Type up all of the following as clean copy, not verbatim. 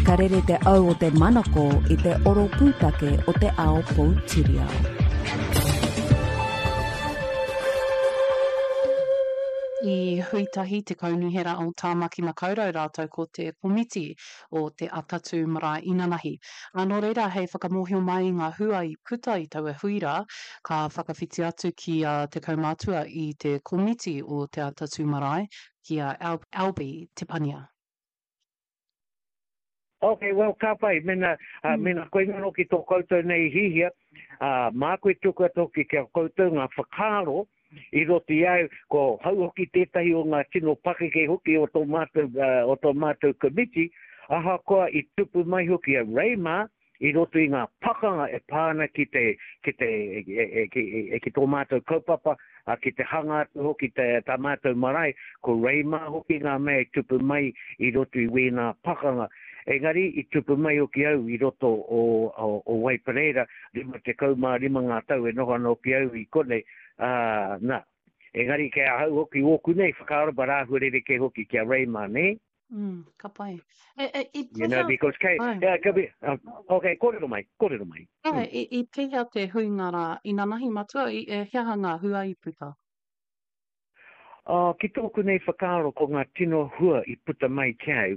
Ka rere te au o te manako i te oro pūtake o te ao poutiriao. I hui tahi te Kaunihera o Tāmaki Makaurau rātou ko te Komiti o Te Atatū Marae Inanahi. Ā, nō reira, hei whakamōhio mai i ngā hua i puta i taua hui rā, ka whakawhiti atu ki a te kaumātua i te Komiti o Te Atatū Marae, ki a Alby Te Pania. Ok, well, ka pai, mena, uh, mena koina hoki tō koutou nei hihia, uh, māku e tuku atu hoki ki a koutou ngā whakaaro i roto i au, ko hau hoki tētahi o ngā tino pakeke hoki o tō mātou, uh, o tō mātou komiti, ahakoa i tupu mai hoki a Ray mā, i roto i ngā pakanga e pā ana ki te, ki te, e, e, ki, e, ki tō mātou kaupapa, ā, ki te hanga atu hoki te, tā mātou marae, ko Ray mā hoki ngā mea i tupu mai i roto i wēnā pakanga. Engari, i tupu mai hoki au i roto o, o, o Waipareira, 55 ngā tau e noho ana hoki au i konei, ā, nā. Engari kei ahau hoki ōku nei whakaaro, but āhua rerekē hoki ki a Ray mā, nē? Mm, ka pai. E, e, i You know, pēhea... because kei, Ai. yeah, ka be, uh, okay, kōrero mai, kōrero mai. Ai, mm. i, i pēhea te huinga rā inanahi matua, i, e, he aha ngā hua i puta? Uh, ki tōku nei whakaaro ko ngā tino hua i puta mai ki au,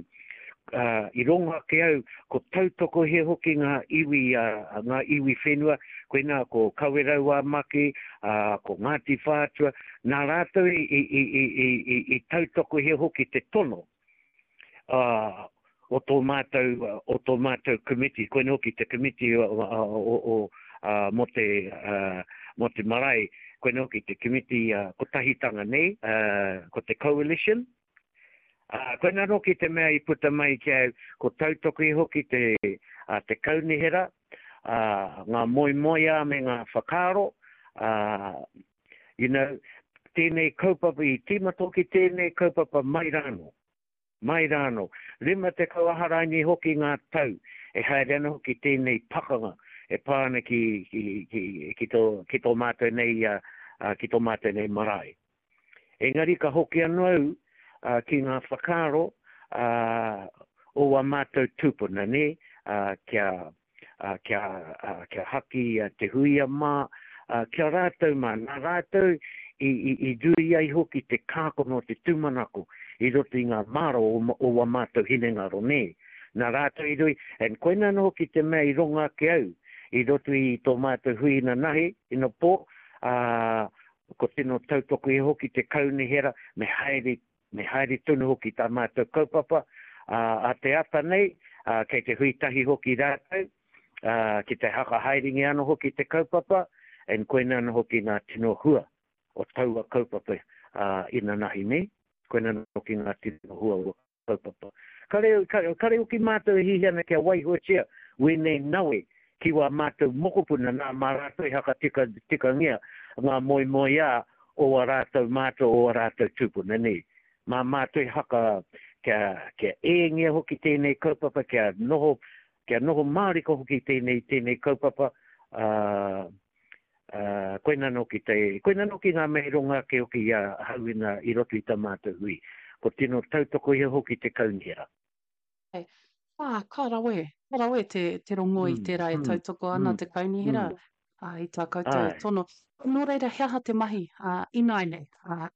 uh, i rongo ake au, ko tautokohia hoki ngā iwi, uh, ngā iwi whenua, koinā ko Kawerau ā Maki, uh, ko Ngāti Whātua, Nā rātou i, i, i, i, i, i, i tautokohia hoki te tono uh, o tō mātou, o tō mātou komiti, koina hoki te komiti o, o, o, uh, mō te, uh, mō te marae, koina hoki te komiti uh, kotahitanga nei, uh, ko te coalition. Uh, koina hoki te mea i puta mai ki au, ko tautokohia hoki te, uh, te kaunihera, uh, ngā moemoeā me ngā whakaaro, uh, You know, tēnei kaupapa, i tīmata hoki tēnei kaupapa mai rānō. Mai rānō. 50 aharaini hoki ngā tau e haere ana hoki tēnei pakanga e pā ana ki, ki, ki, ki, tō, ki tō mātou nei, uh, ki tō mātou nei marae. Engari ka hoki anō au uh, ki ngā whakaaro uh, o wā mātou tūpuna, nē, uh, kia, ā, kia, ā, kia haki a Te Huia mā, ā, ki a rātou mā, nā rātou i, i, i rui ai hoki te kākono o te tūmanako i roto i ngā māra o, o wā mātou hinengaro, nē. Nā rātou i rui, and koina anō hoki te mea i rongo ake au i roto i tō mātou hui inanahi, inapō, ā, ko tino tautoko iho hoki te kaunihera me haere Me haere tonu hoki tā mātou kaupapa, ā, a te ata nei, ā, kei te hui tahi hoki rātou, ā, ki te hakahaerengia anō hoki te kaupapa, and koina anō hoki ngā tino hua o taua kaupapa, ā, inanahi nei, koina anō hoki ngā tino hua o kaupapa. Kare, kare, kare hoki mātou e hiahia ana kia waihotia wēnei nawe ki wā mātou mokopuna, nā, mā rātou e hakatika, tikangia ngā moemoeā o wā rātou mātua, o wā rātou tūpuna, nē. Mā mātou e haka, kia, kia ēngia hoki tēnei kaupapa, kia noho, kia noho mārika hoki tēnei, tēnei kaupapa, ā, ā, koina anō ki te, koina anō ki ngā mea i rongo ake hoki i a Hauena i roto i tā mātou hui. Ko tino tautokohia hoki te kaunihera. Ā, ka rawe, ka rawe te, te rongo i tērā e tautoko ana te kaunihera, ā, i tā koutou tono. Nō reira, he aha te mahi, ā, ināianei, ā,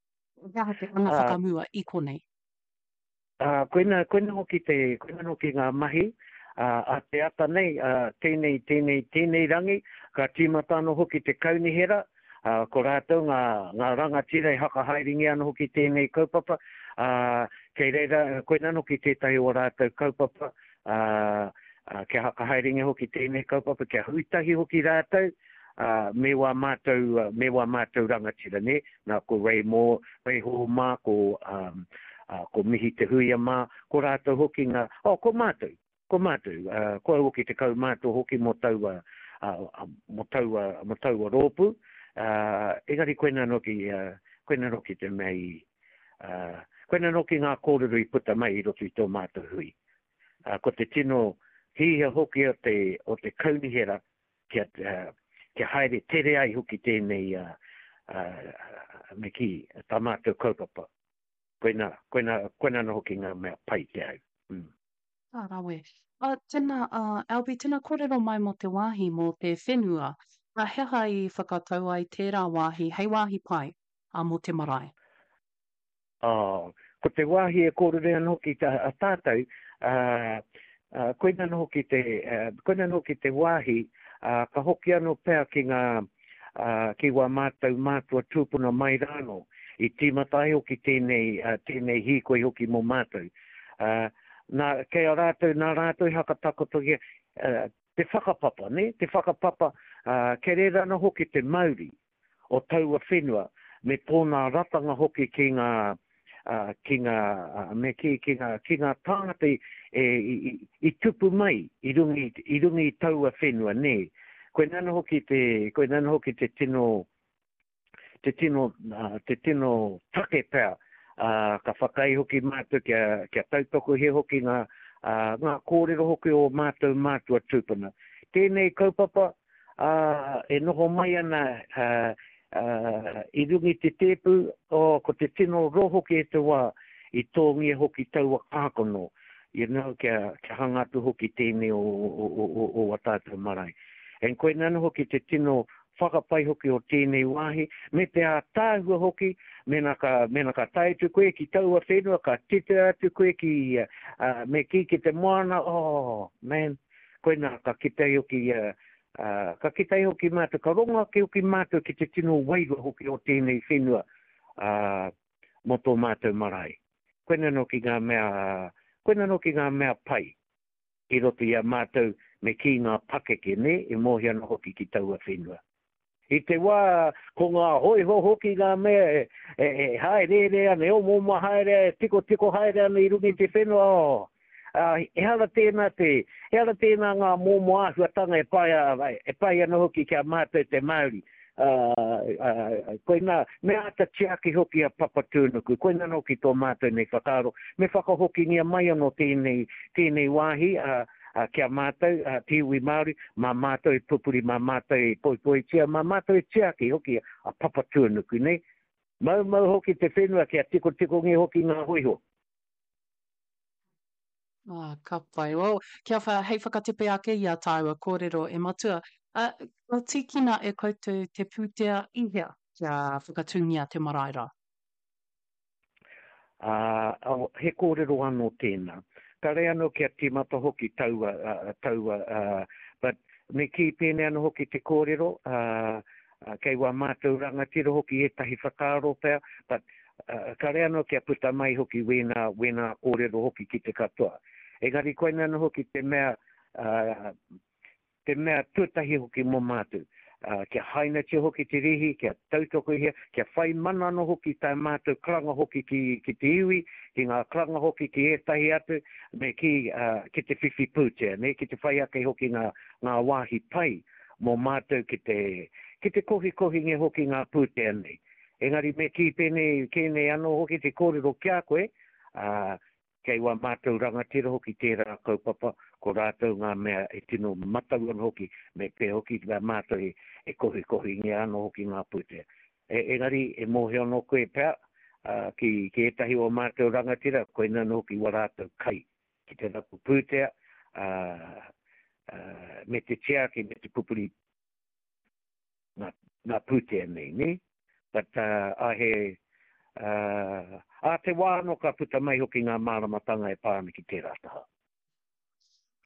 he aha te anga whakamua i konei? Ā, koina, koina hoki te, koina hoki ngā mahi, ā, a te ata nei, ā, tēnei, tēnei, tēnei rangi, ka tīmata anō hoki te kaunihera, ā, ko rātou ngā, ngā rangatira e hakahaerengia ana hoki tēnei kaupapa, ā, kei reira, koinā hoki tētahi o rātou kaupapa, ā, ā, kia hakahaerengia hoki tēnei kaupapa, kia hui tahi hoki rātou, ā, me wā mātou, me wā mātou rangatira, nē, nā, ko Ray Moore, Ray Hall mā, ko, ā, ā, ko Mihi Te Huia mā, ko rātou hoki ngā, oh, ko mātou, Ko mātou, ko au hoki te kaumātua hoki mō taua, mō taua, mō taua rōpū, engari koinā noki, koinā noki te mea i, koinā noki ngā kōrero i puta mai i roto i tō mātou hui. Ko te tino hihia hoki o te, o te kaunihera kia, kia haere tere ai hoki tēnei, me kī, tā mātou kaupapa. Koinā, koinā, koinā anō hoki ngā mea pai ki au. Mm. Ka rawe. Uh, tēnā, uh, Alby, tēnā kōrero mai mō te wāhi, mō te whenua. Uh, he aha i whakatau ai tērā wāhi hei wāhi pai uh, mō te marae? Oh, ko te wāhi e kōrero ana hoki ta, a tātou, uh, uh, koina anō hoki te, uh, koina anō hoki te wāhi, uh, ka hoki anō pea ki ngā, ā, ki wā mātou mātua tūpuna mai rānō, i tīmata ai hoki tēnei, ā, tēnei hīkoi hoki mō mātou. Ā, nā, kei a rātou, nā rātou i hakatakotohia, ā, te whakapapa, nē, te whakapapa, ā, kei reira anō hoki te mauri o taua whenua, me tōna ratanga hoki ki ngā, ā, ki ngā, ā, me kī, ki ngā, ki ngā tāngata i, e, i, i, i tupu mai i runga i, i runga i taua whenua, nē. Koinā anō hoki te, koinā anō hoki te tino, te tino, ā, te tino take pea, ā, ka whakaae hoki mātou kia, kia tautokohia hoki ngā, ā, ngā kōrero hoki o mātou mātua tūpuna. Tēnei kaupapa, ā, e noho mai ana, ā, ā, i runga i te tēpu, oh, ko te tino rō hoki e te wā i tōngia hoki taua kākano, you know, kia, kia hanga atu hoki tēnei o, o, o, o, o a tātou marae. And koinā anō hoki te tino whakapai hoki o tēnei wāhi, me te ātaahua hoki, mēnā ka, mēnā ka tae atu koe ki taua whenua, ka titiro atu koe ki, ā, me kī ki te moana, oh, man, Koinā, ka kite ai hoki ia, ā, ka kite ai hoki mātou, ka rongo ake hoki mātou ki te tino wairua hoki o tēnei whenua, ā, mō tō mātou marae. Koinā nō ki ngā mea, koinā nō ki ngā mea pai i roto i a mātou me kī ngā pakeke, nē, e mōhio ana hoki ki taua whenua. I te wā ko ngā hōiho hoki ngā mea e, e, e hāereere ana, e omaoma haere, e tikotiko haere ana i runga i te whenua, oh, ā, ehara tēnā te, ehara tēnā ngā momo āhuatanga e pai, e pai ana hoki ki a mātou te Māori. Ā, ā, koinā, me āta tiaki hoki a Papatūānuku, koinā anō ki tō mātou nei whakaaro, me whakahokingia mai anō tēnei, tēnei wāhi, ā, Ā, ki a mātou, ā, te iwi Māori, mā mātou e pupuri, mā mātou e poipoitia, mā mātou e tiaki hoki a Papatūānuku, nē? Maumau hoki te whenua kia tikotikongia hoki ngā hōiho. Ā, ka pai. Well, kia wha, hei whakatepe ake i a tāua kōrero e Matua, ā, kua tīkina e koutou te pūtea i hea kia whakatūngia te marae rā? Ā, he kōrero anō tēnā. Kāre anō kia tīmata hoki taua, taua, but me kī pēnei anō hoki te kōrero, ā, kei wā mātou rangatira hoki ētahi whakaaro pea, but kāre anō kia puta mai hoki wēnā, wēnā kōrero hoki ki te katoa. Engari koinā anō hoki te mea, ā, Te mea tuatahi hoki mō mātou, ā, kia hainatia hoki te rīhi, kia tautokohia, kia whai mana anō hoki tā mātou karanga hoki ki, ki te iwi, ki ngā karanga hoki ki ētahi atu, me kī, ā, ki te whiwhi pūtea, nē, ki te whai ake hoki ngā, ngā wāhi pai mō mātou ki te, ki te kohikohingia hoki ngā pūtea nei. Engari me kī pēnei, kē nei anō hoki te kōrero ki a koe, ā, Kei wā mātou rangatira hoki tērā kaupapa, ko rātou ngā mea e tino matau ana hoki, me pēhea hoki mā mātou e kohikohingia anō hoki ngā pūtea. E, engari, e mōhio anō koe pea, ā, ki, ki ētahi o ā mātou rangatira, koinā anō hoki wā rātou kai ki te rapu pūtea, ā, ā, me te tiaki, me te pupuri ngā, ngā pūtea nei, nē? But, uh, ā, he, uh, ā te wā anō ka puta mai hoki ngā māramatanga e pā ana ki tērā taha.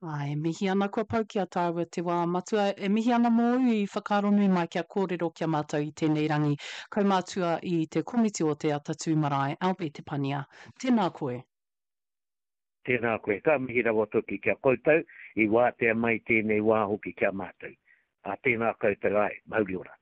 Ā, e mihi ana kua pau ki a tāua te wā matua. E mihi ana mōu i whakaaro nui mai kia kōrero ki a mātou i tēnei rangi. Kaumātua i te komiti o Te Atatū Marae, Albie Te Pania. Tēnā koe. Tēnā koe. Ka mihi rawa toki ki a koutou i wātea mai tēnei wā hoki ki a mātou. Ā, tēnā koutou, āe, mauri ora.